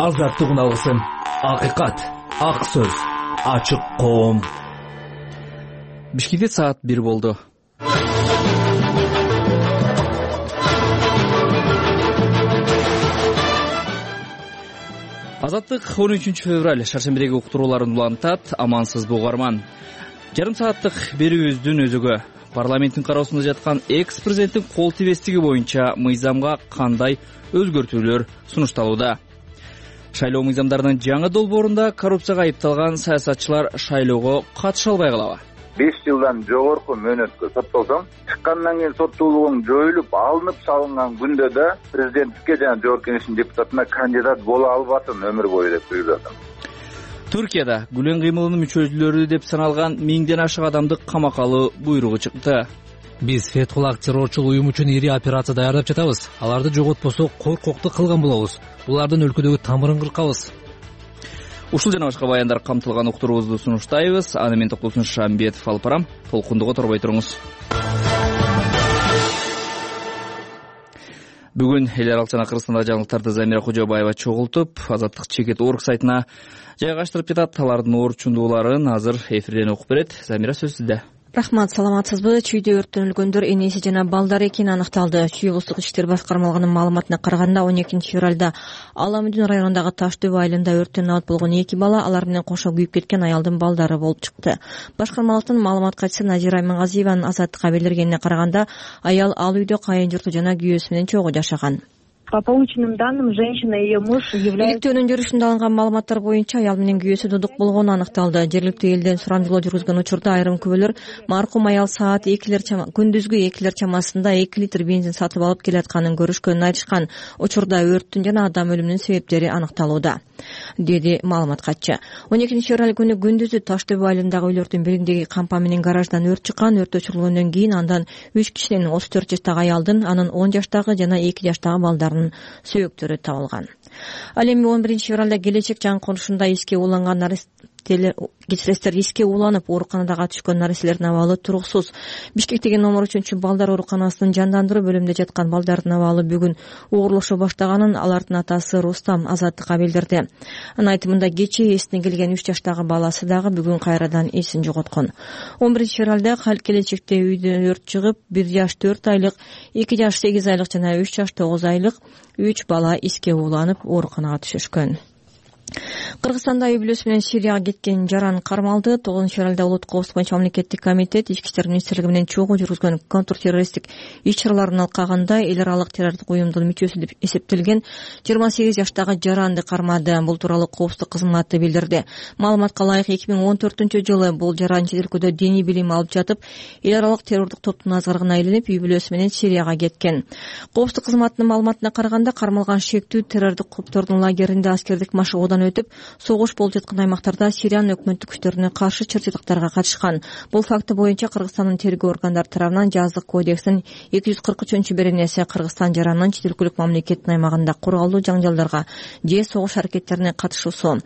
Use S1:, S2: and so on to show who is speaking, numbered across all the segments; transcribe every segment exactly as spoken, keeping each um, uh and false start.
S1: Азаттык үналгысын, акыйкат, ак сөз, ачык коом.
S2: Бишкекте саат бир болду. Азаттык он үчүнчү февраль шаршембидеги уктурууларын улантат. Амансызбы угарман. Жарым сааттык берүүбүздүн өзөгү парламенттин кароосунда жаткан экс-президенттин кол тийбестиги боюнча мыйзамга кандай өзгөртүүлөр сунушталууда? Шайлоо мыйзамдарынын жаңы долбоорунда коррупцияга айыпталган саясатчылар шайлоого катыша албай калабы?
S3: беш жылдан жогорку мөөнөткө соттолсоң, чыккандан кийин соттуулугуң жоюлуп, алынып салынган күндө да президенттикке жана жогорку кеңештин депутатына кандидат боло албасын өмүр бою деп буйрулат.
S2: Түркияда Гүлен кыймылынын мүчөлөрү деп саналган миңден ашык адамды камакка алуу буйругу чыкты.
S4: Биз Фетхуллах террорчул уюм үчүн ири операция даярдап жатабыз. Аларды жоготпосок коркокту кылган болобуз. Булардын өлкөдөгү тамырын кыркабыз.
S2: Ушул жана башка баяндар камтылган уктуруубузду сунуштайбыз. Аны мен Токтосун Шамбетов алып барам. Толкундуга торбой туруңуз. Бүгүн эл аралык жана Кыргызстандагы жаңылыктарды Замира Кожобаева чогултуп, Азаттык чекит орг сайтына жайгаштырып жатат. Алардын орчундууларын азыр эфирден окуп берет. Замира, сөз сизде.
S5: Рахмат, саламатсызбы? Чүйдө өрттөн өлгөндөр энеси жана балдар экени аныкталды. Чүй облустук ички иштер башкармалыгынын маалыматына караганда, он экинчи февралда Аламүдүн районундагы Таш дөбө айылында өрттөн абат болгон эки бала, алар менен кошо күйүп кеткен аялдын балдары болуп чыкты. Башкармалыктын маалымат катчысы Назира Аймангазиеванын Азаттыкка билдиргенине караганда, аял ал үйдө кайын журту жана күйөөсү менен чогуу жашаган.
S6: По полученным данным, женщина и ее муж являются...
S5: Иликтөөнүн жүрүшүндө алынган маалыматтар боюнча аял менен күйөөсү дудук болгону аныкталды. Жергиликтүү элден сурамжылоо жүргүзгөн учурда айрым күбөлөр маркум аял саат экилер күндүзгү экилер чамасында эки литр бензин сатып алып келатканын көрүшкөнүн айтышкан. Учурда өрттүн жана адам өлүмүнүн себептери аныкталууда, деди маалымат катчы. он экинчи февраль күнү күндүзү Таш дөбө айылындагы үйлөрдүн бириндеги кампа менен гараждан өрт чыккан. Өрт өчүрүлгөндөн кийин андан үч кишинин отуз төрт жаштагы аялдын, анын он жаштагы жана эки жаштагы балдарын сөөктөрү табылган. Ал эми он биринчи февралда келечек жан конушунда эске уланган нарселер кечиресиздер эске уланып ооруканадага түшкөн нареселердин абалы туруксуз. Бишкектеги номер үчүнчү балдар ооруканасынын жандандыруу бөлүмүндө жаткан балдардын абалы бүгүн оорлошо баштаганын алардын атасы Рустам Азаттыкка билдирди. Анын айтымында кечээ эсине келген үч жаштагы баласы дагы бүгүн кайрадан эсин жоготкон. он биринчи февралда келечекте үйдө өрт чыгып, бир жаш төрт айлык, эки жаш сегиз айлык жана үч жаш тогуз айлык үч бала эске уланып ооруканага түшүшкөн. Кыргызстанда үй бүлөсү менен Сирияга кеткен жаран кармалды. тогузунчу февралда Улуттук коопсуздук боюнча мамлекеттик комитет Ички иштер министрлиги менен чогуу жүргүзгөн контртеррористтик иш-чаралардын алкагында эл аралык террорлук уюмдун мүчөсү деп эсептелген жыйырма сегиз жаштагы жаранды кармады. Бул тууралуу коопсуздук кызматы билдирди. Маалыматка ылайык эки миң он төртүнчү жылы бул жаран чет өлкөдө диний билим алып жатып, эл аралык террордук топтун азгырыгына айланып, үй бүлөсү менен Сирияга кеткен. Коопсуздук кызматынын маалыматына караганда, кармалган шектүү террордук топтордун лагеринде аскердик машыгуудан өтүп, согуш болуп жаткан аймактарда Сириянын өкмөттүк күчтөрүнө каршы чыр-чатактарга катышкан. Бул факты боюнча Кыргызстандын тергөө органдары тарабынан жаздык кодекстин эки жүз кырк үчүнчү беренеси Кыргызстан жаранын чет өлкөлүк мамлекеттин аймагында куралдуу жаңжалдарга же согуш аракеттерине катышуусу,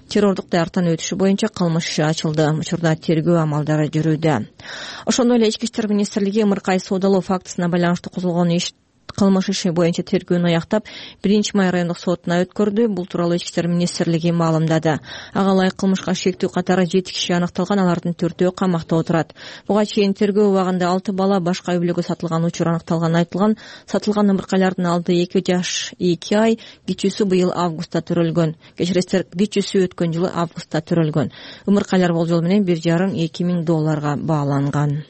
S5: террордук даярдыктан өтүшү боюнча кылмыш иши ачылды. Учурда тергөө амалдары жүрүүдө. Ошондой эле Ички иштер министрлиги ымыркай соодалоо фактысына байланыштуу козголгон иш кылмыш иши боюнча тергөөнү аяктап, биринчи май райондук сотуна өткөрдү. Бул тууралуу Ички иштер министрлиги маалымдады. Ага ылайык кылмышка шектүү катары жети киши аныкталган, алардын төртөө камакта отурат. Буга чейин тергөө убагында алты бала башка үй бүлөгө сатылган учур аныкталганы айтылган. Сатылган ымыркайлардын алды эки жаш эки ай, кичүүсү быйыл августта төрөлгөн. Кечиресиздер, кичүүсү өткөн жылы августта төрөлгөн. Ымыркайлар болжол менен бир жарым эки миң долларга бааланган.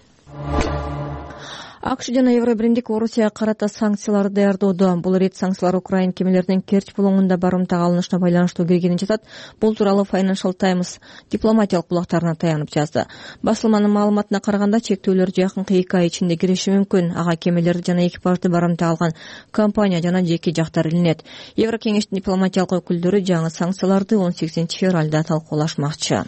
S5: АКШ жана Евробиримдик Орусияга карата санкцияларды даярдоодо. Бул рет санкциялар Украин кемелеринин Керчь булоңунда барымтага алынышына байланыштуу келгенин жатат. Бул тууралуу Financial Times дипломатиялык булактарына таянып жазды. Басылманын маалыматына караганда, чектөөлөр жакынкы эки ай ичинде кириши мүмкүн. Ага кемелерди жана экипажды барымта алган компания жана жеке жактар илинет. Еврокеңештин дипломатиялык өкүлдөрү жаңы санкцияларды он сегизинчи февралда талкуулашмакчы.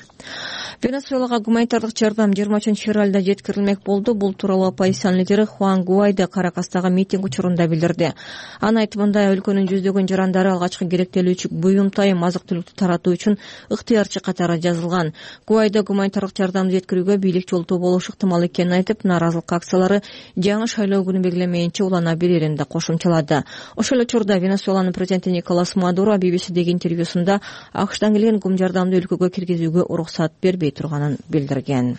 S5: Венесуэлага гуманитардык жардам жыйырма үчүнчү февралда жеткирилмек болду. Бул тууралуу оппозициянын лидери Хуан Гуайдо Каракастагы митинг учурунда билдирди. Анын айтымында өлкөнүн жүздөгөн жарандары алгачкы керектелүүчү буюм тайым азык-түлүктү таратуу үчүн ыктыярчы катары жазылган. Гуайдо гуманитардык жардамды жеткирүүгө бийлик жолтоо болушу ыктымал экенин айтып, нааразылык акциялары жаңы шайлоо күнү белгилемейинче улана берерин да кошумчалады. Ошол эле учурда Венесуэланын президенти Николас Мадуро би би сидеги интервьюсунда АКШдан келген гум жардамды өлкөгө киргизүүгө уруксат бербей турганын билдирген.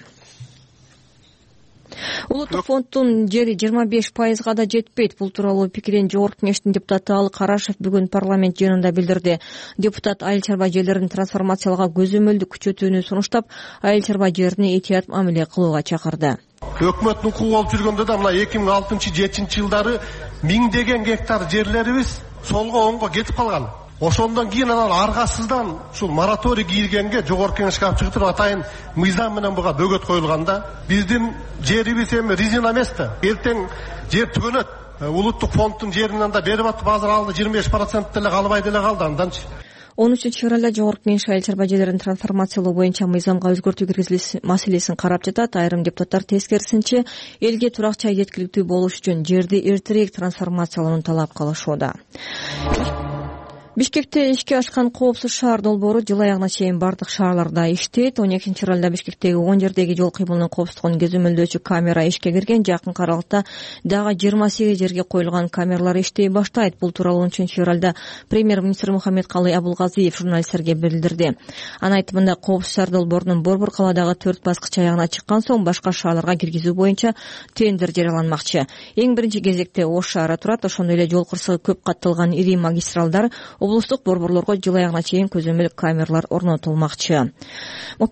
S5: Улуттук фонддун жери жыйырма беш пайызга да жетпейт. Бул тууралуу пикирин Жогорку кеңештин депутаты Ал Карашев бүгүн парламент жыйынында билдирди. Депутат айыл чарба жерлерин трансформациялауга көзөмөлдү күчөтүүнү сунуштап, айыл чарба жерине этият мамиле кылууга чакырды.
S7: Өкмөттүн кулу болуп жүргөндө да мына эки миң алтынчы жетинчи жылдары миңдеген гектар жерлерибиз солго оңго кетип калган. Ошондон кийин анан аргасыздан ушул мораторий кийилгенге Жогорку кеңешке алып чыгып атайын мыйзам менен буга бөгөт коюлганда, биздин жерибиз эми резина эмес да. Эртең жер түгөнөт. Улуттук фонддун жеринен да берип атып, азыр алды жыйырма беш процент деле калбай деле калды анданчы.
S5: он үчүнчү февралда Жогорку кеңеш айыл чарба жерлерин трансформациялоо боюнча мыйзамга өзгөртүү киргизилиш маселесин карап жатат. Айрым депутаттар тескерисинче элге турак жай жеткиликтүү болуш үчүн жерди эртерээк трансформациялоону талап кылышууда. Бишкекте ишке ашкан коопсуз шаар долбоору жыл аягына чейин бардык шаарларда иштейт. он экинчи февралда Бишкектеги он жердеги жол кыймылынын коопсуздугун көзөмөлдөөчү камера ишке кирген. Жакын аралыкта дагы жыйырма сегиз жерге коюлган камералар иштей баштайт. Бул тууралуу он үчүнчү февралда премьер-министр Мухаммедкалый Абулгазиев журналисттерге билдирди. Анын айтымында коопсуз шаар долбоорунун Борбор калаадагы төрт баскыч аягына чыккан соң башка шаарларга киргизүү боюнча тендер жарыяланмакчы. Эң биринчи кезекте Ош шаары турат. Ошондой эле жол кырсыгы көп катталган ири магистралдар, облустук борборлорго жыл аягына чейин көзөмөл камералар орнотулмакчы.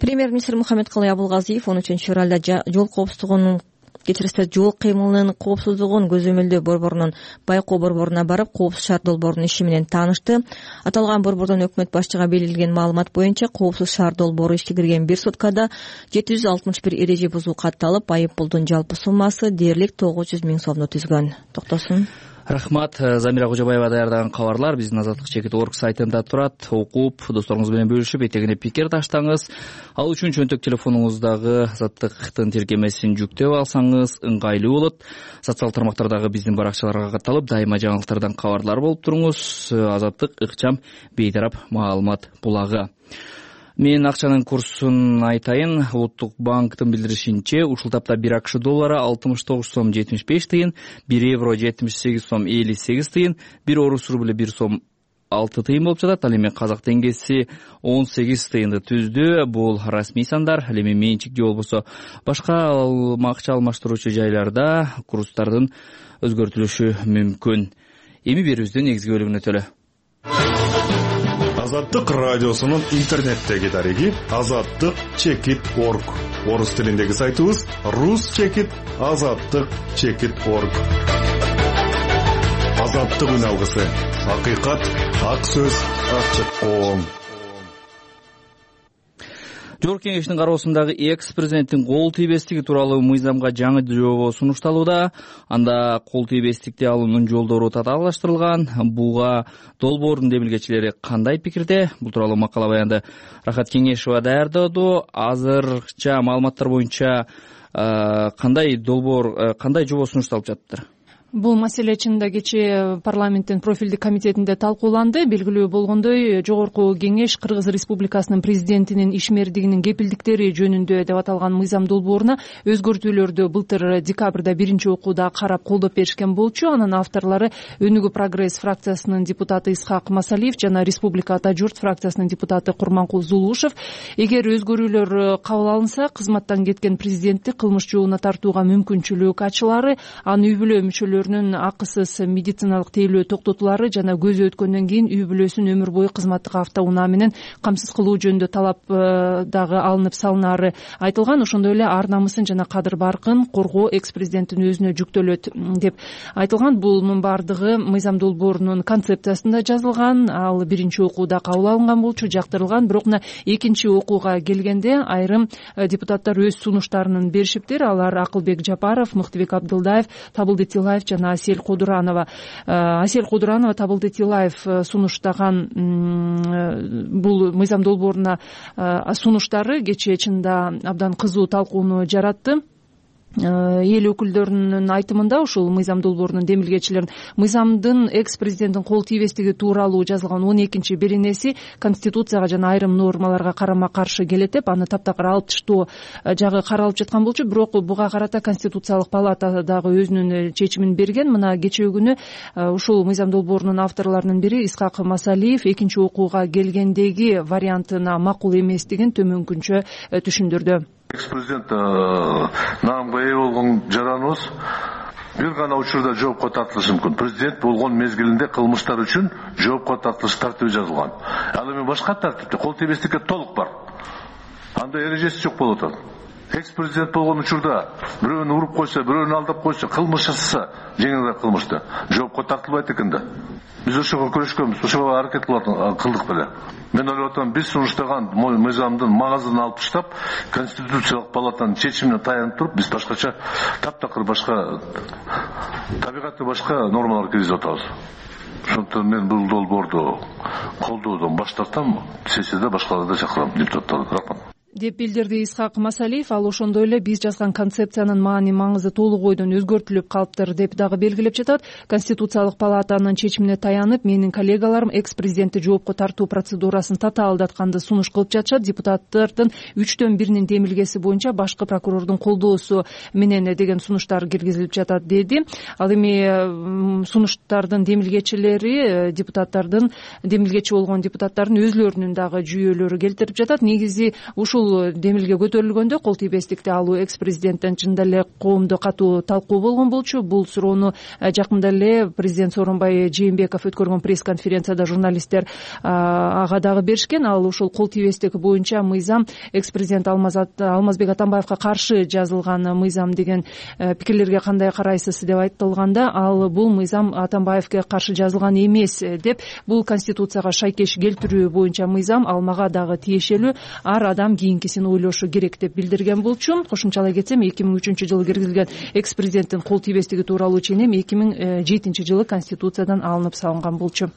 S5: Премьер-министр Мухаммедкалый Абулгазиев он үчүнчү февралда жол коопсуздугунун кечиристе жол кыймылынын коопсуздугун көзөмөлдөө борборунун байкоо борборуна барып, коопсуз шаар долбоорунун иши менен таанышты. Аталган борбордон өкмөт башчыга берилген маалымат боюнча коопсуз шаар долбоору ишке кирген бир суткада жети жүз алтымыш бир эреже бузуу катталып, айып пулдун жалпы суммасы дээрлик тогуз жүз миң сомду түзгөн. Токтосун.
S2: Рахмат. Замира Кожобаева даярдаган кабарлар биздин азаттык чекит орг сайтында турат. Окуп, досторуңуз менен бөлүшүп, этегине пикир таштаңыз. Ал үчүн чөнтөк телефонуңуздагы азаттыктын тиркемесин жүктөп алсаңыз ыңгайлуу болот. Социал тармактардагы биздин баракчаларга катталып, дайыма жаңылыктардан кабарлар болуп туруңуз. Азаттык ыкчам бейтарап маалымат булагы. Мен акчанын курсун айтайын. Улуттук банктын билдиришинче, ушул тапта бир АКШ доллары алтымыш тогуз сом жетимиш беш тыйын, бир евро жетимиш сегиз сом элүү сегиз тыйын, бир орус рубль бир сом алты тыйын болуп жатат. Ал эми казак теңгеси он сегиз тыйынды түздү. Бул расмий сандар. Ал эми менчик же болбосо башка акча алмаштыруучу жайларда курстардын өзгөртүлүшү мүмкүн. Эми берүүбүздүн негизги бөлүгүнө өтөлү.
S8: Азаттык радиосунун интернеттеги дареги азаттык чекит точка орг. Орус тилиндеги сайтыбыз рус чекит азаттык чекит точка орг. Азаттык үн алгысы. Акыйкат, ак сөз, ачык коом.
S2: Жогорку кеңештин кароосундагы экс-президенттин кол тийбестиги тууралуу мыйзамга жаңы жобо сунушталууда. Анда кол тийбестикти алуунун жолдору татаалаштырылган. Буга долбоордун демилгечилери кандай пикирде? Бул тууралуу макала баянды Рахат Кеңешова даярдады. Азыркыча маалыматтар боюнча кандай долбоор, кандай жобо сунушталып жатыр?
S9: Бул маселе чынында кечээ парламенттин профилдик комитетинде талкууланды. Белгилүү болгондой, Жогорку кеңеш Кыргыз Республикасынын президентинин ишмердигинин кепилдиктери жөнүндө деп аталган мыйзам долбооруна өзгөртүүлөрдү былтыр декабрда биринчи окууда карап колдоп беришкен болчу. Анын авторлору Өнүгүү Прогресс фракциясынын депутаты Исхак Масалиев жана Республика Ата журт фракциясынын депутаты Курманкул Зулушев. Эгер өзгөрүүлөр кабыл алынса, кызматтан кеткен президентти кылмыш жообуна тартууга мүмкүнчүлүк ачылары, анын үй бүлө мүчөлөрү акысыз медициналык тейлөө токтотулары жана көзү өткөндөн кийин үй бүлөсүн өмүр бою кызматтык автоунаа менен камсыз кылуу жөнүндө талап дагы алынып салынары айтылган. Ошондой эле ар намысын жана кадыр баркын коргоо экс-президенттин өзүнө жүктөлөт деп айтылган. Бунун баардыгы мыйзам долбоорунун концепциясында жазылган. Ал биринчи окууда кабыл алынган болчу, жактырылган. Бирок мына экинчи окууга келгенде айрым депутаттар өз сунуштарын беришиптир. Алар Акылбек Жапаров, Мыктыбек Абдылдаев, Табылды Тилаев жана Асель Кудуранова. Асель Кудуранова Табылды Тилаев сунуштаган бул мыйзам долбооруна сунуштары кечээ чынында абдан кызуу талкууну жаратты. Эл өкүлдөрүнүн айтымында ушул мыйзам долбоорунун демилгечилерин мыйзамдын экс президенттин кол тийбестиги тууралуу жазылган он экинчи беренеси конституцияга жана айрым нормаларга карама каршы келет деп аны таптакыр алып таштоо жагы каралып жаткан болчу. Бирок буга карата конституциялык палата дагы өзүнүн чечимин берген. Мына кечээ күнү ушул мыйзам долбоорунун авторлорунун бири Исхак Масалиев экинчи окууга келгендеги вариантына макул эместигин төмөнкүнчө түшүндүрдү.
S10: Экс-президент наамга ээ болгон жараныбыз бир гана учурда жоопко тартылышы мүмкүн. Президент болгон мезгилинде кылмыштар үчүн жоопко тартылыш тартиби жазылган. Ал эми башка тартипте кол тийбестикке толук бар. Анда эрежеси жок болуп атат. Экс-президент болгон учурда бирөөнү уруп койсо, бирөөнү алдап койсо, кылмыш жасаса, жеңилирээк кылмышты жоопко тартылбайт экен да. Биз ошого күрөшкөнбүз, ошого аракет кылдык беле. Мен ойлоп атам, биз сунуштаган мыйзамдын магазын алып таштап, конституциялык палатанын чечимине таянып туруп, биз башкача таптакыр башка табигаты башка нормалар киргизип атабыз. Ошондуктан мен бул долбоорду колдоодон баш тартам, сессияда башкаларды чакырам, депутаттарды. Рахмат.
S9: Деп билдирди Исхак Масалиев. Ал ошондой эле биз жазган концепциянын маани маңызы толук ойдон өзгөртүлүп калыптыр деп дагы белгилеп жатат. Конституциялык палатанын чечимине таянып, менин коллегаларым экс-президентти жоопко тартуу процедурасын татаалдатканды сунуш кылып жатышат. Депутаттардын үчтөн биринин демилгеси боюнча башкы прокурордун колдоосу менен деген сунуштар киргизилип жатат деди. Ал эми сунуштардын демилгечилери депутаттардын демилгечи болгон депутаттардын өзлөрүнүн дагы жүйөлөрү келтирип жатат. Негизи ушул демилге көтөрүлгөндө кол тийбестикти алуу экс-президенттен чында эле коомдо катуу талкуу болгон болчу. Бул суроону жакында эле президент Сооронбай Жээнбеков өткөргөн пресс-конференцияда журналисттер ага дагы беришкен. Ал ушул кол тийбестик боюнча мыйзам экс-президент Алмазбек Атамбаевка каршы жазылган мыйзам деген пикирлерге кандай карайсыз деп айтылганда, ал бул мыйзам Атамбаевге каршы жазылган эмес деп, бул конституцияга шайкеш келтирүү боюнча мыйзам, ал мага дагы тиешелүү, ар адам кийинкисин ойлошу керек деп билдирген болчу. Кошумчалай кетсем, эки миң үчүнчү жылы киргизилген экс-президенттин кол тийбестиги тууралуу ченем эки миң жетинчи жылы конституциядан алынып салынган болчу.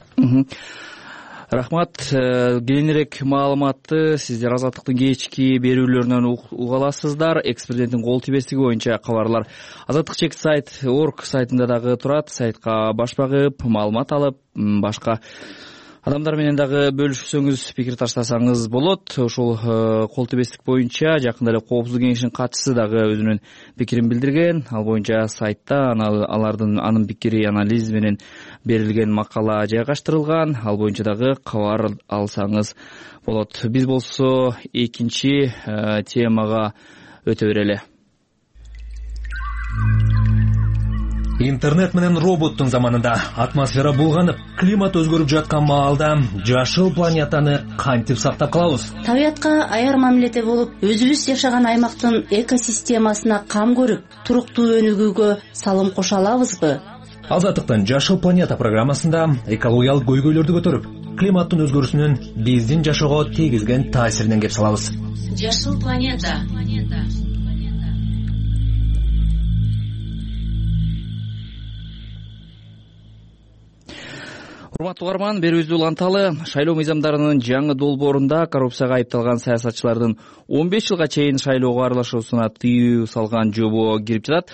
S2: Рахмат. Кийинирээк маалыматты сиздер Азаттыктын кечки берүүлөрүнөн уга аласыздар. Экс-президенттин кол тийбестиги боюнча кабарлар азаттык чек сайт орг сайтында дагы турат. Сайтка баш багып, маалымат алып, башка адамдар менен дагы бөлүшсөңүз, пикир таштасаңыз болот. Ошол кол тийбестик боюнча жакында эле Коопсуздук кеңешинин катчысы дагы өзүнүн пикирин билдирген. Ал боюнча сайтта алардын анын пикири, анализ менен берилген макала жайгаштырылган. Ал боюнча дагы кабар алсаңыз болот. Биз болсо экинчи темага өтө берели.
S1: Интернет менен роботтун заманында атмосфера булганып, климат өзгөрүп жаткан маалда жашыл планетаны кантип сактап калабыз?
S11: Табиятка аяр мамиледе болуп, өзүбүз жашаган аймактын экосистемасына кам көрүп, туруктуу өнүгүүгө салым кошо алабызбы?
S1: Азаттыктын Жашыл планета программасында экологиялык көйгөйлөрдү көтөрүп, климаттын өзгөрүүсүнүн биздин жашоого тийгизген таасиринен кеп салабыз.
S11: Жашыл планета.
S2: Урматтуу угарман, берүүбүздү уланталы. Шайлоо мыйзамдарынын жаңы долбоорунда коррупцияга айыпталган саясатчылардын он беш жылга чейин шайлоого аралашуусуна тыюу салган жобо кирип жатат.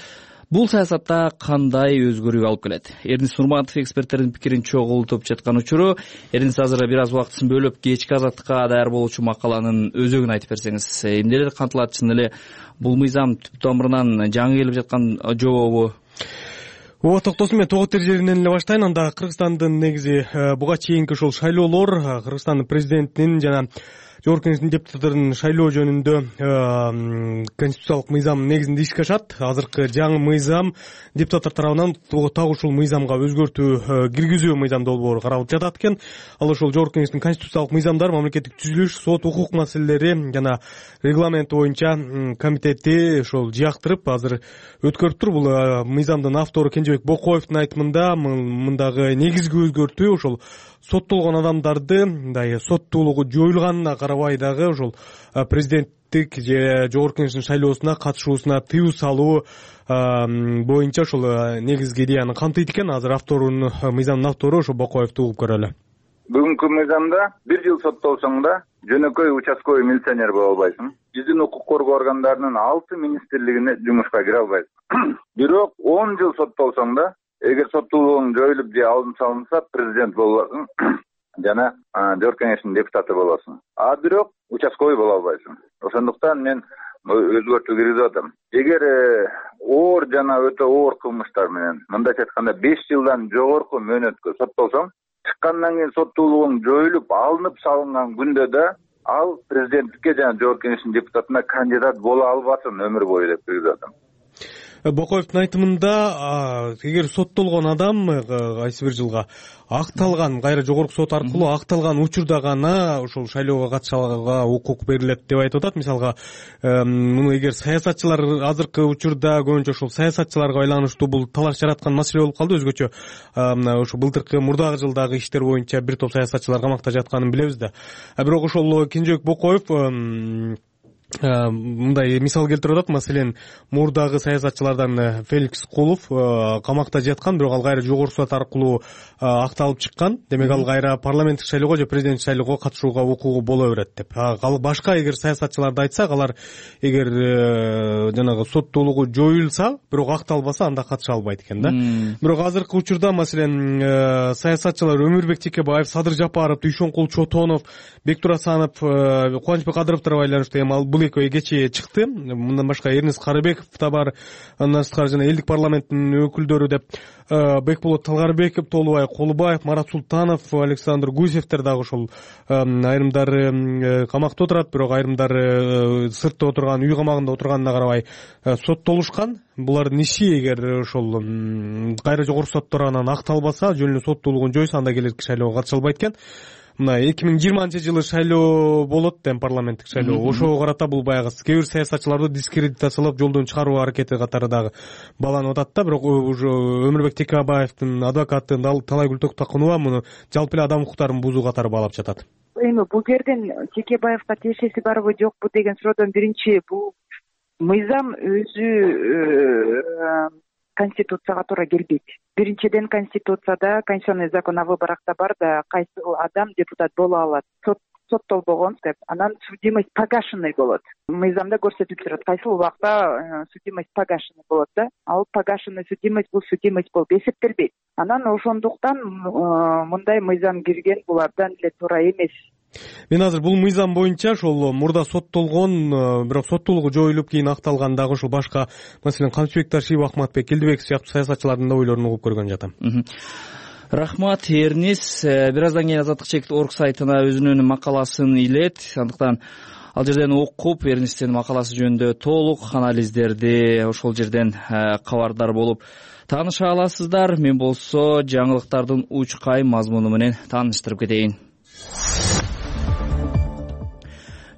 S2: Бул саясатта кандай өзгөрүү алып келет? Эрнис Нурматов эксперттердин пикирин чогултуп жаткан учуру. Эрнис, азыр бир аз убактысын бөлүп, кечки Азаттыкка даяр болуучу макаланын өзөгүн айтып берсеңиз. Эмнелер кантылат? Чын эле бул мыйзам түп тамырынан жаңы келип жаткан жобобу?
S12: Ооба, токтосун, мен тогот жеринен эле баштайын. Анда Кыргызстандын негизи буга чейинки ушул шайлоолор, Кыргызстандын президентинин жана жогорку кеңештин депутаттарын шайлоо жөнүндө конституциялык мыйзам негизинде ишке ашат. Азыркы жаңы мыйзам депутаттар тарабынан так ушул мыйзамга өзгөртүү киргизүү мыйзам долбоору каралып жатат экен. Ал ошол жогорку кеңештин конституциялык мыйзамдар, мамлекеттик түзүлүш, сот, укук маселелери жана регламент боюнча комитети ошол жыяктырып азыр өткөрүп тур. Бул мыйзамдын автору Кенжебек Бокоевдун айтымында мындагы негизги өзгөртүү ошол соттолгон адамдарды мындай соттуулугу жоюлганына карабай дагы ошол президент парламенттик же жогорку кеңештин шайлоосуна катышуусуна тыюу салуу боюнча ушул негизги идеяны камтыйт экен. Азыр авторун мыйзамдын автору ошо Бокоевду угуп көрөлү.
S3: Бүгүнкү мыйзамда бир жыл соттолсоң да жөнөкөй участковый милиционер боло албайсың. Биздин укук коргоо органдарынын алты министрлигине жумушка кире албайсың. Бирок он жыл соттолсоң да, эгер соттуулугуң жоюлуп же алынып салынса, президент болосуң жана жогорку кеңештин депутаты болосуң. А бирок участковый боло албайсың. Ошондуктан мен өзгөртүү киргизип атам. Эгер оор жана өтө оор кылмыштар менен, мындайча айтканда беш жылдан жогорку мөөнөткө соттолсоң, чыккандан кийин соттуулугуң жоюлуп, алынып салынган күндө да ал президенттикке жана жогорку кеңештин депутатына кандидат боло албасын өмүр бою деп киргизип атам.
S12: Бокоевдун айтымында, эгер соттолгон адам кайсы бир жылга акталган, кайра жогорку сот аркылуу акталган учурда гана ошол шайлоого катышууга укук берилет деп айтып атат. Мисалга, муну эгер саясатчылар азыркы учурда көбүнчө ошол саясатчыларга байланыштуу бул талаш жараткан маселе болуп калды. Өзгөчө ошо былтыркы мурдагы жылдагы иштер боюнча бир топ саясатчылар камакта жатканын билебиз да. Бирок ошол Кенжебек Бокоев мындай мисал келтирип атат. Маселен, мурдагы саясатчылардан Феликс Кулов камакта жаткан, бирок ал кайра жогорку сот аркылуу акталып чыккан. Демек ал кайра парламенттик шайлоого же президенттик шайлоого катышууга укугу боло берет деп. Ал башка эгер саясатчыларды айтсак, алар эгер жанагы соттуулугу жоюлса, бирок акталбаса, анда катыша албайт экен да. Бирок азыркы учурда маселен саясатчылар Өмүрбек Текебаев, Садыр Жапаров, Дүйшөнкул Чотонов, Бектур Асанов, Кубанычбек Кадыровдор байланыштуу эми ал бул экөө кечээ чыкты. Мындан башка Эрнест Карыбеков да бар, андан сырткары жана элдик парламенттин өкүлдөрү деп Бекболот Талгарбеков, Толубай Колубаев, Марат Султанов, Александр Гусевтер дагы ошол айрымдары камакта отурат, бирок айрымдары сыртта отурган, үй камагында отурганына карабай соттолушкан. Булардын иши эгер ошол кайра жогорку соттор анан акталбаса, жөн эле соттуулугун жойсо, анда келерки шайлоого катыша албайт экен. Мына эки миң жыйырманчы жылы шайлоо болот эми, парламенттик шайлоо. Ошого карата бул баягы кээ бир саясатчыларды дискредитациялап жолдон чыгаруу аракети катары дагы баланып атат да. Бирок уже Өмүрбек Текебаевдин адвокаты Талайгүл Токтокунова муну жалпы эле адам укуктарын бузуу катары баалап жатат.
S13: Эми бул жерден Текебаевга тиешеси барбы жокпу деген суроодон биринчи, бул мыйзам өзү конституцияга туура келбейт. Биринчиден, конституцияда конституционный закон о выборах-то бар да, кайсы адам депутат боло алат. Соттолбогон деп, анан судимость погашенный болот. Мыйзамда көрсөтүлүп турат, кайсы убакта судимость погашенный болот да. Ал погашенный судимость бул судимость болуп эсептелбейт. Анан ошондуктан мындай мыйзам кирген бул абдан эле туура эмес.
S12: Мен азыр бул мыйзам боюнча ошол мурда соттолгон, бирок соттуулугу жоюлуп кийин акталган дагы ошол башка, маселен, Камчыбек Ташиев, Ахматбек Келдибеков сыяктуу саясатчылардын да ойлорун угуп көргөн жатам.
S2: Рахмат, Эрнис. Бир аздан кийин Азаттык чекит орг сайтына өзүнүн макаласын илет. Андыктан ал жерден окуп, Эрнистин макаласы жөнүндө толук анализдерди ошол жерден кабардар болуп тааныша аласыздар. Мен болсо жаңылыктардын учкай мазмуну менен тааныштырып кетейин.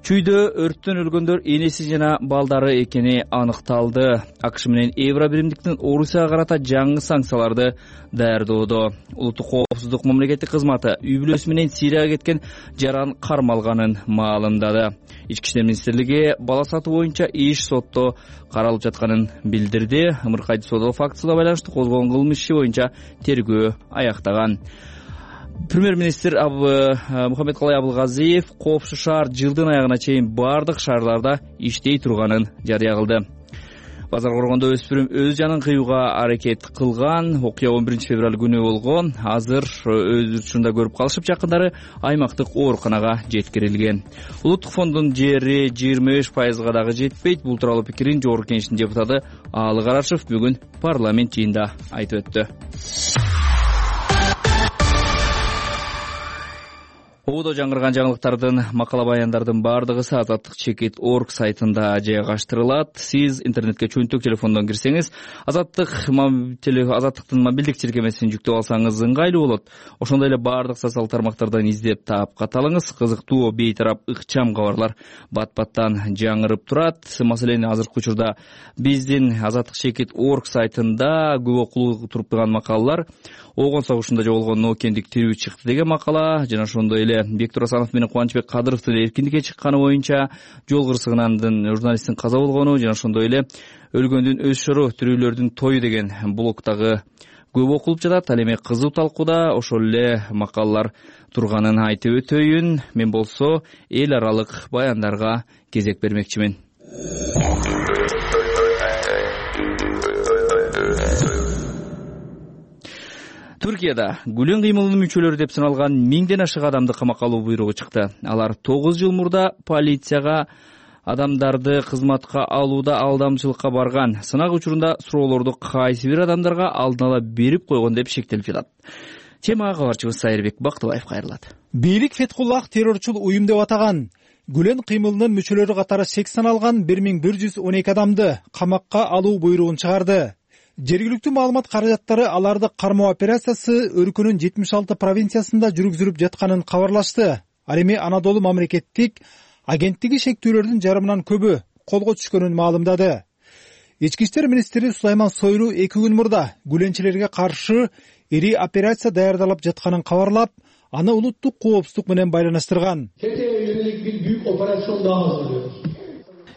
S2: Чүйдө өрттөн өлгөндөр энеси жана балдары экени аныкталды. АКШ менен Евро биримдиктин Орусияга карата жаңы санкцияларды даярдоодо. Улуттук коопсуздук мамлекеттик кызматы үй бүлөсү менен Сирияга кеткен жаран кармалганын маалымдады. Ички иштер министрлиги бала сатуу боюнча иш сотто каралып жатканын билдирди. Ымыркайды соодолук фактысына байланыштуу козголгон кылмыш иши боюнча тергөө аяктаган. Премьер-министр Мухаммедкалай Абылгазиев Коопсуз шаар жылдын аягына чейин бардык шаарларда иштей турганын жарыя кылды. Базар Коргондо өспүрүм өз жанын кыюуга аракет кылган. Окуя он биринчи февраль күнү болгон. Азыр өз учурунда көрүп калышып, жакындары аймактык ооруканага жеткирилген. Улуттук фонддун жери жыйырма беш пайызга дагы жетпейт. Бул тууралуу пикирин жогорку кеңештин депутаты Аалы Карашев бүгүн парламент жыйынында айтып өттү. Ободо жаңырган жаңылыктардын макала баяндардын бардыгы Азаттык чекит орг сайтында жайгаштырылат. Сиз интернетке чөнтөк телефондон кирсеңиз, Азаттык Азаттыктын мобилдик тиркемесин жүктөп алсаңыз ыңгайлуу болот. Ошондой эле бардык социалдык тармактардан издеп таап каталыңыз. Кызыктуу, бейтарап, ыкчам кабарлар бат-баттан жаңырып турат. Маселен, азыркы учурда биздин Азаттык чекит орг сайтында көп окулуп туруп турган макалалар: Огон согушунда жоголгон Ноокендик тирүү чыкты деген макала, жана ошондой эле эле Бектур Асанов менен Кубанычбек Кадыровдун эркиндикке чыкканы боюнча жол кырсыгынан журналисттин каза болгону жана ошондой эле өлгөндүн өз шору, тирүүлөрдүн тою деген блогдагы көп окулуп жатат. Ал эми кызуу талкууда ошол эле макалалар турганын айтып өтөйүн. Мен болсо эл аралык баяндарга кезек бермекчимин. Түркияда Гүлен кыймылынын мүчөлөрү деп саналган миңден ашык адамды камакка алуу буйругу чыкты. Алар тогуз жыл мурда полицияга адамдарды кызматка алууда алдамчылыкка барган. Сынак учурунда суроолорду кайсы бир адамдарга алдын ала берип койгон деп шектелип жатат. Темага кабарчыбыз Сайырбек Бактыбаев кайрылат.
S14: Бийлик Фетхуллах террорчул уюм деп атаган Гүлен кыймылынын мүчөлөрү катары шек саналган бир миң бир жүз он эки адамды камакка алуу буйругун чыгарды. Жергиликтүү маалымат каражаттары аларды кармоо операциясы өлкөнүн жетимиш алты провинциясында жүргүзүлүп жатканын кабарлашты. Ал эми Анадолу мамлекеттик агенттиги шектүүлөрдүн жарымынан көбү колго түшкөнүн маалымдады. Ички иштер министри Сулайман Сойлу эки күн мурда гүленчилерге каршы ири операция даярдалып жатканын кабарлап, аны улуттук коопсуздук менен байланыштырган.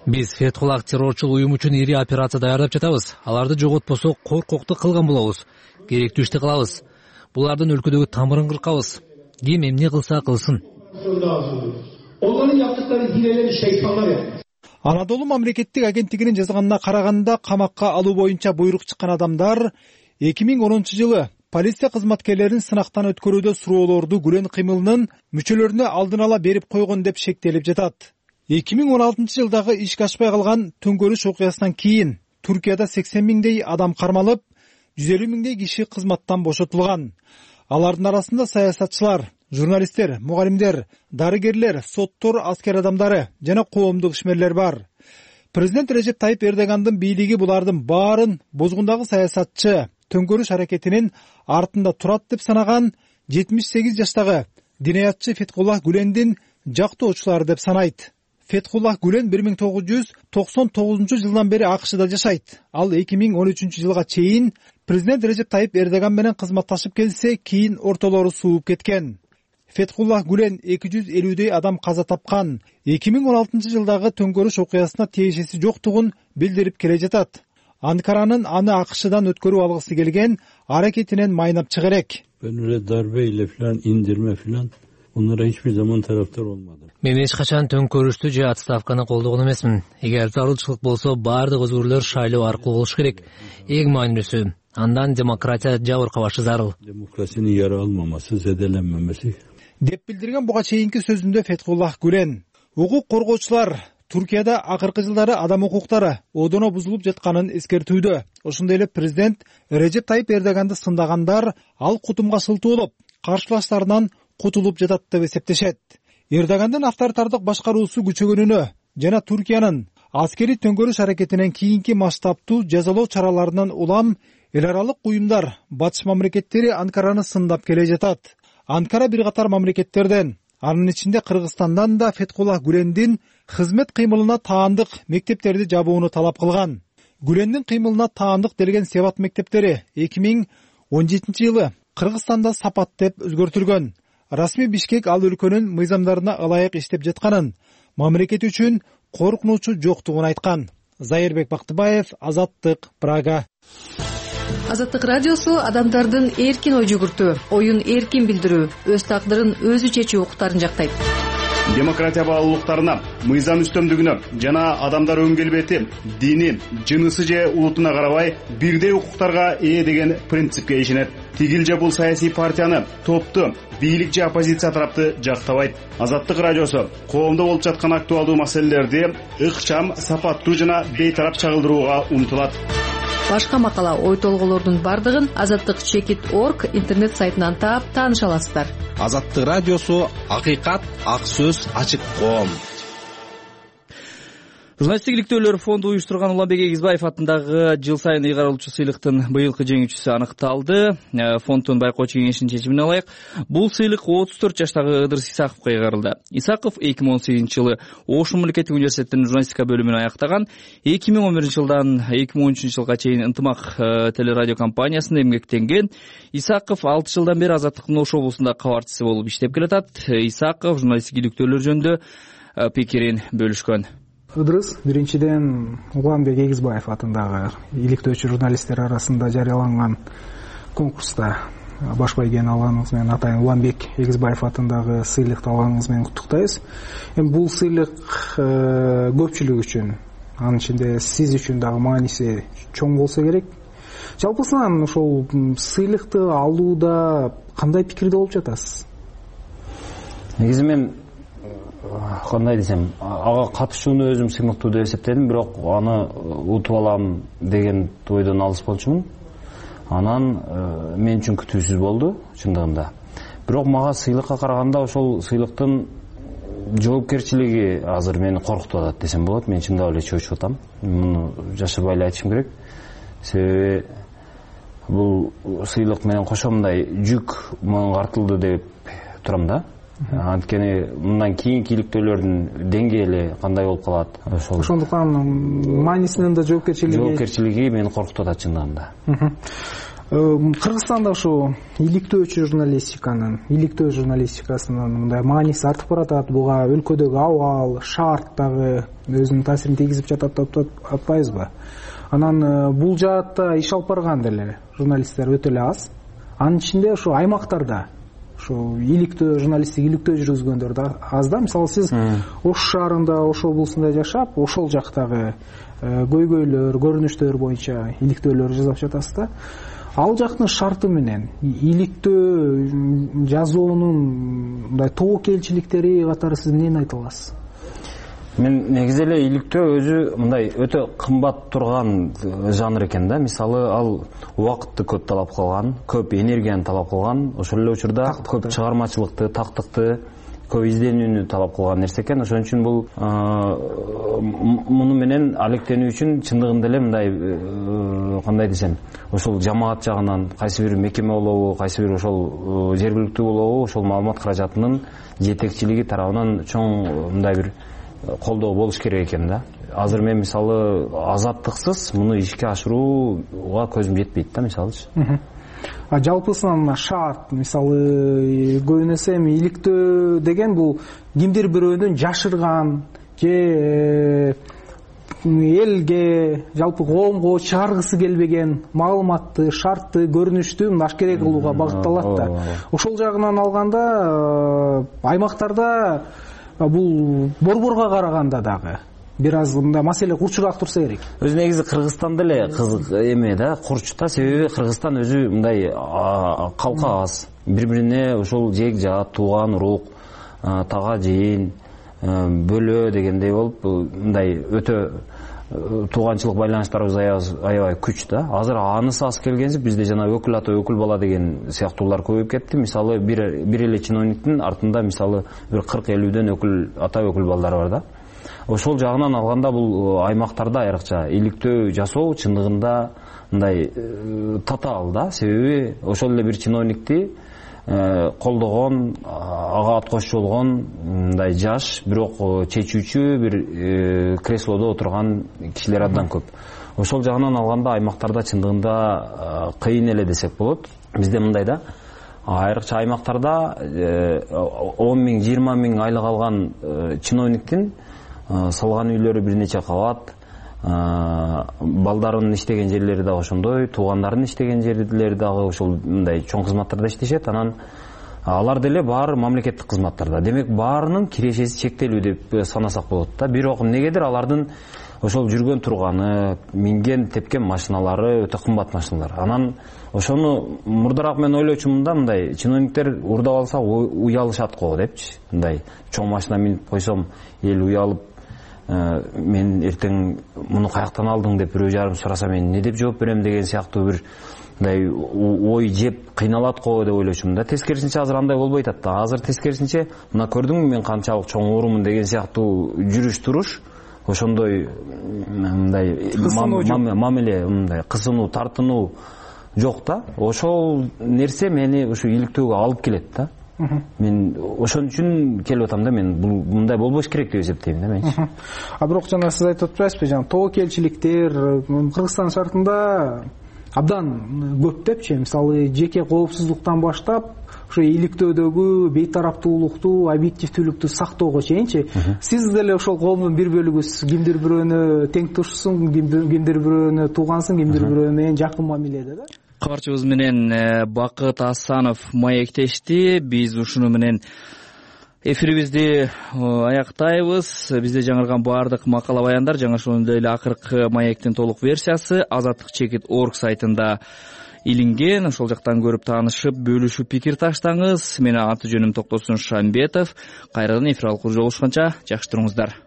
S4: Биз Фетхуллах террорчул уюм үчүн ири операция даярдап жатабыз. Аларды жоготпосок коркокту кылган болобуз. Керектүү ишти кылабыз. Булардын өлкөдөгү тамырын кыркабыз. Ким эмне кылса кылсын.
S14: Анадолу мамлекеттик агенттигинин жазганына караганда, камакка алуу боюнча буйрук чыккан адамдар эки миң онунчу жылы полиция кызматкерлерин сынактан өткөрүүдө суроолорду Гүлен кыймылынын мүчөлөрүнө алдын ала берип койгон деп шектелип жатат. эки миң он алтынчы жылдагы ишке ашпай калган төңкөрүш окуясынан кийин Түркияда сексен миңдей адам кармалып, жүз элүү миңдей киши кызматтан бошотулган. Алардын арасында саясатчылар, журналисттер, мугалимдер, дарыгерлер, соттор, аскер адамдары жана коомдук ишмерлер бар. Президент Режеп Тайып Эрдогандын бийлиги булардын баарын бозгундагы саясатчы төңкөрүш аракетинин артында турат деп санаган жетимиш сегиз жаштагы динаятчы Фетхуллах Гүлендин жактоочулары деп санайт. Фетхуллах Гүлен бир миң тогуз жүз токсон тогузунчу жылдан бери АКШда жашайт. Ал эки миң он үчүнчү жылга чейин президент Режеп Тайып Эрдоган менен кызматташып келсе, кийин ортолору сууп кеткен. Фетхуллах Гүлен эки жүз элүүдөй адам каза тапкан. эки миң он алтынчы жылдагы төңкөрүш окуясына тиешеси жоктугун билдирип келе жатат. Анкаранын аны АКШдан өткөрүп алгысы келген аракетинен майнап чыга элек.
S15: Böyle darbe ile filan indirme filan onlara hiçbir zaman taraftar olmadım.
S4: Мен эч качан төңкөрүштү же отставканы колдогон эмесмин. Эгер зарылчылык болсо, баардык өзгөрүүлөр шайлоо аркылуу болуш керек. Эң маанилүүсү, андан демократия жабыркабашы зарыл.
S15: Demokrasinin yara almaması, zedelenmemesi.
S14: Деп билдирген буга чейинки сөзүндө Фетхуллах Гүлен. Укук коргоочулар Түркияда акыркы жылдары адам укуктары одоно бузулуп жатканын эскертүүдө. Ошондой эле президент Режеп Тайып Эрдоганды сындагандар ал кутумга шылтоолоп, каршылаштарынан кутулуп жатат деп эсептешет. Эрдогандын авторитардык башкаруусу күчөгөнүнө жана Түркиянын аскери төңкөрүш аракетинен кийинки масштабтуу жазалоо чараларынан улам эл аралык уюмдар, батыш мамлекеттери Анкараны сындап келе жатат. Анкара бир катар мамлекеттерден, анын ичинде Кыргызстандан да Фетхуллах Гүлендин кызмет кыймылына таандык мектептерди жабууну талап кылган. Гүлендин кыймылына таандык делген Себат мектептери эки миң он жетинчи жылы Кыргызстанда Сапат деп өзгөртүлгөн. Расмий Бишкек ал өлкөнүн мыйзамдарына ылайык иштеп жатканын, мамлекет үчүн коркунучу жоктугун айткан. Зайырбек Бактыбаев, Азаттык, Прага.
S16: Азаттык радиосу адамдардын эркин ой жүгүртүү, оюн эркин билдирүү, өз тагдырын өзү чечүү укуктарын жактайт.
S17: Демократия баалуулуктарына, мыйзам үстөмдүгүнө жана адамдар өң келбети, дини, жынысы же улутуна карабай бирдей укуктарга ээ деген принципке ишенет. Тигил же бул саясий партияны, топту, бийлик же оппозиция тарапты жактабайт. Азаттык радиосу коомдо болуп жаткан актуалдуу маселелерди ыкчам, сапаттуу жана бейтарап чагылдырууга умтулат.
S16: Башка макала, ой толголордун бардыгын азаттык чекит точка орг интернет сайтынан таап тааныша аласыздар.
S18: Азаттык радиосу акыйкат, ак сөз, ачык коом.
S2: Журналисттик иликтөөлөр фонду уюштурган Уланбек Эгизбаев атындагы жыл сайын ыйгарылуучу сыйлыктын быйылкы жеңүүчүсү аныкталды. Фонддун байкоочу кеңешинин чечимине ылайык бул сыйлык отуз төрт жаштагы Ыдырыс Исаковго ыйгарылды. Исаков эки миң он сегизинчи жылы Ош мамлекеттик университетинин журналистика бөлүмүн аяктаган. эки миң он биринчи жылдан эки миң он үчүнчү жылга чейин Ынтымак телерадио компаниясында эмгектенген. Исаков алты жылдан бери Азаттыктын Ош облусунда кабарчысы болуп иштеп келатат. Исаков журналисттик иликтөөлөр жөнүндө пикирин бөлүшкөн.
S18: Ыдырыс биринчиден Уланбек Эгизбаев атындагы иликтөөчү журналисттер арасында жарыяланган конкурста баш байгени алганыңыз менен атайын Уланбек Эгизбаев атындагы сыйлыкты алганыңыз менен куттуктайбыз. Эми бул сыйлык көпчүлүк үчүн, анын ичинде сиз үчүн дагы мааниси чоң болсо керек. Жалпысынан ошол сыйлыкты алууда кандай пикирде болуп жатасыз?
S19: Негизи мен кандай десем, ага катышууну өзүм сыймыктуу деп эсептедим, бирок аны утуп алам деген ойдон алыс болчумун. Анан мен үчүн күтүүсүз болду чындыгында. Бирок мага сыйлыкка караганда ошол сыйлыктын жоопкерчилиги азыр мени коркутуп атат десем болот. Мен чындап эле чочуп атам. Муну жашырбай эле айтышым керек. Себеби бул сыйлык менен кошо мындай жүк мага артылды деп турам да. Анткени мындан кийинки иликтөөлөрдүн деңгээли кандай болуп калат? Ошол.
S18: Ошондуктан маанисинен да жоопкерчилиги
S19: жоопкерчилиги мени коркутуп атат чындыгында.
S18: Кыргызстанда ушу иликтөөчү журналистиканын, иликтөө журналистикасынын мындай мааниси артып баратат. Буга өлкөдөгү абал, шарт дагы өзүнүн таасирин тийгизип жатат деп атпайбызбы? Анан бул жаатта иш алып барган деле журналисттер өтө эле аз. Анын ичинде ушу аймактарда ошо иликтөө журналисттик иликтөө жүргүзгөндөр да аз да. Мисалы сиз Ош шаарында, Ош облусунда жашап, ошол жактагы көйгөйлөр, көрүнүштөр боюнча иликтөөлөр жасап жатасыз да. Ал жактын шарты менен иликтөө жазуунун мындай тобокелчиликтери катары сиз эмнени айта аласыз?
S19: Мен негизи эле иликтөө өзү мындай өтө кымбат турган жанр экен да. Мисалы ал убакытты көп талап кылган, көп энергияны талап кылган, ошол эле учурда көп чыгармачылыкты, тактыкты, көп изденүүнү талап кылган нерсе экен. Ошон үчүн бул муну менен алектенүү үчүн чындыгында эле мындай кандай десем, ошол жамаат жагынан кайсы бир мекеме болобу, кайсы бир ошол жергиликтүү болобу, ошол маалымат каражатынын жетекчилиги тарабынан чоң мындай бир колдоо болуш керек экен да. Азыр мен мисалы азаттыксыз муну ишке ашырууга көзүм жетпейт да, мисалычы.
S18: А жалпысынан шарт, мисалы көбүн эсе иликтөө деген бул кимдир бирөөнүн жашырган же элге, жалпы коомго чыгаргысы келбеген маалыматты, шартты, көрүнүштү ашкере кылууга багытталат да. Ошол жагынан алганда аймактарда бул борборго караганда дагы бир аз мындай маселе курчураак турса керек.
S19: Өзү негизи Кыргызстанда эле кызык эме да, курч да. Себеби Кыргызстан өзү мындай калка аз. Бири-бирине ошол жек жаат, тууган урук, тага жыйын, бөлө дегендей болуп мындай өтө тууганчылык байланыштарыбыз аябай күч да. Азыр анысы аз келгенсип бизде жана өкүл ата өкүл бала деген сыяктуулар көбөйүп кетти. Мисалы бир бир эле чиновниктин артында мисалы бир кырк элүүдөн өкүл ата өкүл балдары бар да. Ошол жагынан алганда бул аймактарда айрыкча иликтөө жасоо чындыгында мындай татаал да. Себеби ошол эле бир чиновникти колдогон, ага ат кошчу болгон мындай жаш, бирок чечүүчү бир креслодо отурган кишилер абдан көп. Ошол жагынан алганда аймактарда чындыгында кыйын эле десек болот. Бизде мындай да, айрыкча аймактарда он миң, жыйырма миң айлык алган чиновниктин салган үйлөрү бир нече кабат, балдарынын иштеген жерлери дагы ошондой, туугандарынын иштеген жерлери дагы ошол мындай чоң кызматтарда иштешет. Анан алар деле баары мамлекеттик кызматтарда. Демек баарынын кирешеси чектелүү деп санасак болот да. Бирок эмнегедир алардын ошол жүргөн турганы, минген тепкен машиналары өтө кымбат машиналар. Анан ошону мурдараак мен ойлочумун да, мындай чиновниктер урдап алса уялышат го депчи. Мындай чоң машина минип койсом эл уялып, мен эртең муну каяктан алдың деп бирөө жарым сураса мен не деп жооп берем деген сыяктуу бир мындай ой жеп кыйналат го деп ойлочумун да. Тескерисинче азыр андай болбой атат да. Азыр тескерисинче мына көрдүңбү мен канчалык чоң оорумун деген сыяктуу жүрүш туруш ошондой мындай мамиле, мындай кысынуу, тартынуу жок да. Ошол нерсе мени ушу иликтөөгө алып келет да. Мен ошон үчүн келип атам да, мен бул мындай болбош керек деп эсептейм да мен.
S18: А бирок жана сиз айтып атпайсызбы, жана тобокелчиликтер Кыргызстан шартында абдан көп депчи, мисалы жеке коопсуздуктан баштап ошо иликтөөдөгү бейтараптуулукту, объективдүүлүктү сактоого чейинчи. Сиз деле ошол коомдун бир бөлүгүсүз, кимдир бирөөнү тең тушсуң, кимдир бирөөнү туугансың, кимдир бирөө менен жакын мамиледе да.
S2: Кабарчыбыз менен Бакыт Асанов маектешти. Биз ушуну менен эфирибизди аяктайбыз. Бизде жаңырган баардык макала баяндар жана ошондой эле акыркы маектин толук версиясы азаттык чекит точка орг сайтында илинген. Ошол жактан көрүп таанышып, бөлүшүп пикир таштаңыз. Менин аты жөнүм Токтосун Шамбетов. Кайрадан эфир алкуу жолугушканча жакшы туруңуздар.